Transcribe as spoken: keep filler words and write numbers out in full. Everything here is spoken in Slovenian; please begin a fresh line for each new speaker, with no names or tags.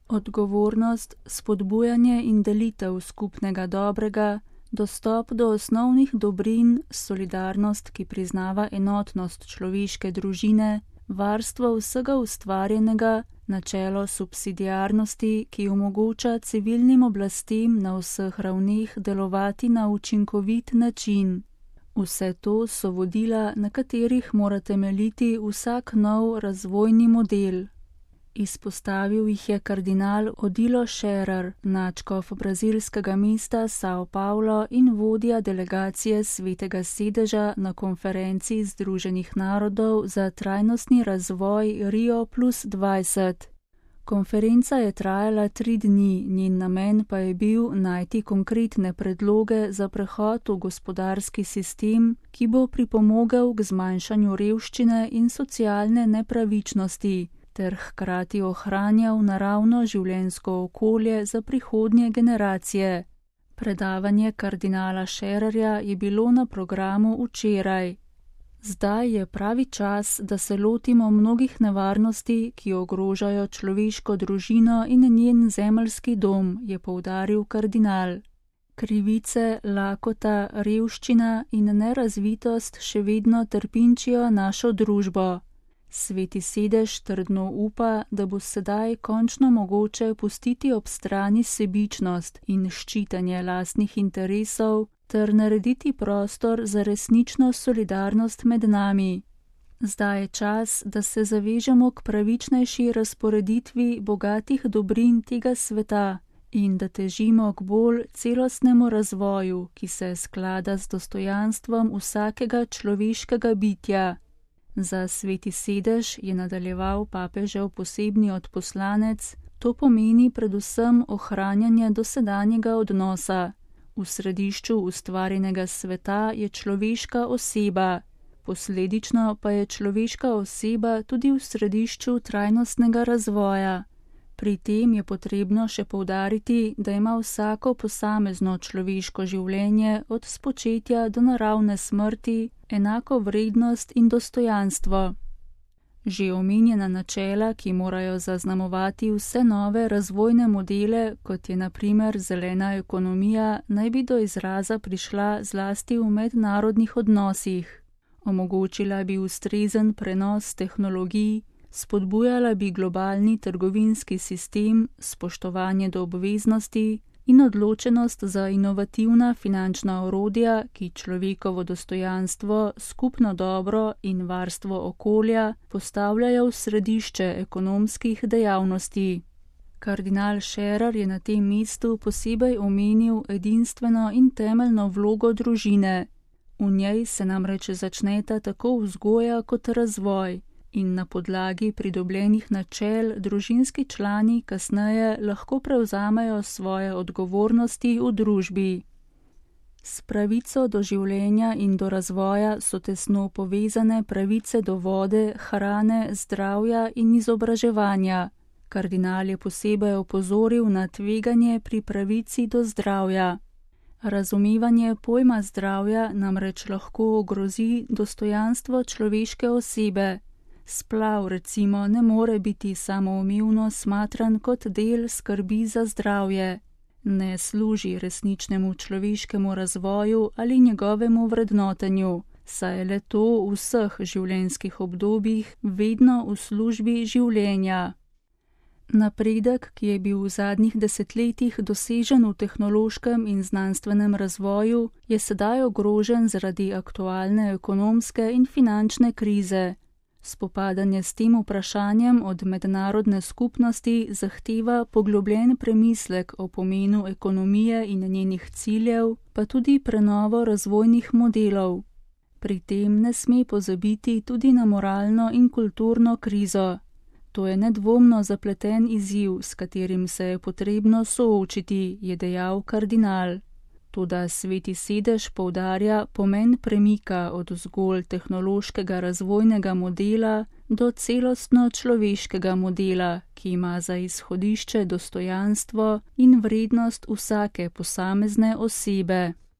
Odgovornost, spodbujanje in delitev skupnega dobrega, dostop do osnovnih dobrin, solidarnost, ki priznava enotnost človeške družine, varstvo vsega ustvarjenega, načelo subsidiarnosti, ki omogoča civilnim oblastem na vseh ravneh delovati na učinkovit način. Vse to so vodila, na katerih mora temeljiti vsak nov razvojni model. Izpostavil jih je kardinal Odilo Scherer, nadškof brazilskega mesta São Paulo in vodja delegacije Svetega sedeža na konferenci Združenih narodov za trajnostni razvoj Rio plus dvajset. Konferenca je trajala tri dni, njen namen pa je bil najti konkretne predloge za prehod v gospodarski sistem, ki bo pripomogel k zmanjšanju revščine in socialne nepravičnosti, ter hkrati ohranjal naravno življenjsko okolje za prihodnje generacije. Predavanje kardinala Schererja je bilo na programu včeraj. Zdaj je pravi čas, da se lotimo mnogih nevarnosti, ki ogrožajo človeško družino in njen zemeljski dom, je poudaril kardinal. Krivice, lakota, revščina in nerazvitost še vedno trpinčijo našo družbo. Sveti sedež trdno upa, da bo sedaj končno mogoče pustiti ob strani sebičnost in ščitanje lastnih interesov ter narediti prostor za resnično solidarnost med nami. Zdaj je čas, da se zavežemo k pravičnejši razporeditvi bogatih dobrin tega sveta in da težimo k bolj celostnemu razvoju, ki se sklada z dostojanstvom vsakega človeškega bitja. Za Sveti sedež, je nadaljeval papežev posebni odposlanec, to pomeni predvsem ohranjanje dosedanjega odnosa. V središču ustvarjenega sveta je človeška oseba, posledično pa je človeška oseba tudi v središču trajnostnega razvoja. Pri tem je potrebno še poudariti, da ima vsako posamezno človeško življenje od spočetja do naravne smrti enako vrednost in dostojanstvo. Že omenjena načela, ki morajo zaznamovati vse nove razvojne modele, kot je na primer zelena ekonomija, naj bi do izraza prišla zlasti v mednarodnih odnosih. Omogočila bi ustrezen prenos tehnologij, spodbujala bi globalni trgovinski sistem, spoštovanje do obveznosti in odločenost za inovativna finančna orodja, ki človekovo dostojanstvo, skupno dobro in varstvo okolja postavljajo v središče ekonomskih dejavnosti. Kardinal Scherer je na tem mestu posebej omenil edinstveno in temeljno vlogo družine. V njej se namreč začneta tako vzgoja kot razvoj. In na podlagi pridobljenih načel družinski člani kasneje lahko prevzamejo svoje odgovornosti v družbi. S pravico do življenja in do razvoja so tesno povezane pravice do vode, hrane, zdravja in izobraževanja. Kardinal je posebej opozoril na tveganje pri pravici do zdravja. Razumevanje pojma zdravja namreč lahko ogrozi dostojanstvo človeške osebe. Splav recimo ne more biti samoumevno smatran kot del skrbi za zdravje. Ne služi resničnemu človeškemu razvoju ali njegovemu vrednotenju, saj je le to v vseh življenjskih obdobjih vedno v službi življenja. Napredek, ki je bil v zadnjih desetletjih dosežen v tehnološkem in znanstvenem razvoju, je sedaj ogrožen zaradi aktualne ekonomske in finančne krize. Spopadanje s tem vprašanjem od mednarodne skupnosti zahteva poglobljen premislek o pomenu ekonomije in njenih ciljev, pa tudi prenovo razvojnih modelov. Pri tem ne sme pozabiti tudi na moralno in kulturno krizo. To je nedvomno zapleten izziv, s katerim se je potrebno soočiti, je dejal kardinal. Toda Sveti sedež poudarja pomen premika od zgolj tehnološkega razvojnega modela do celostno človeškega modela, ki ima za izhodišče dostojanstvo in vrednost vsake posamezne osebe.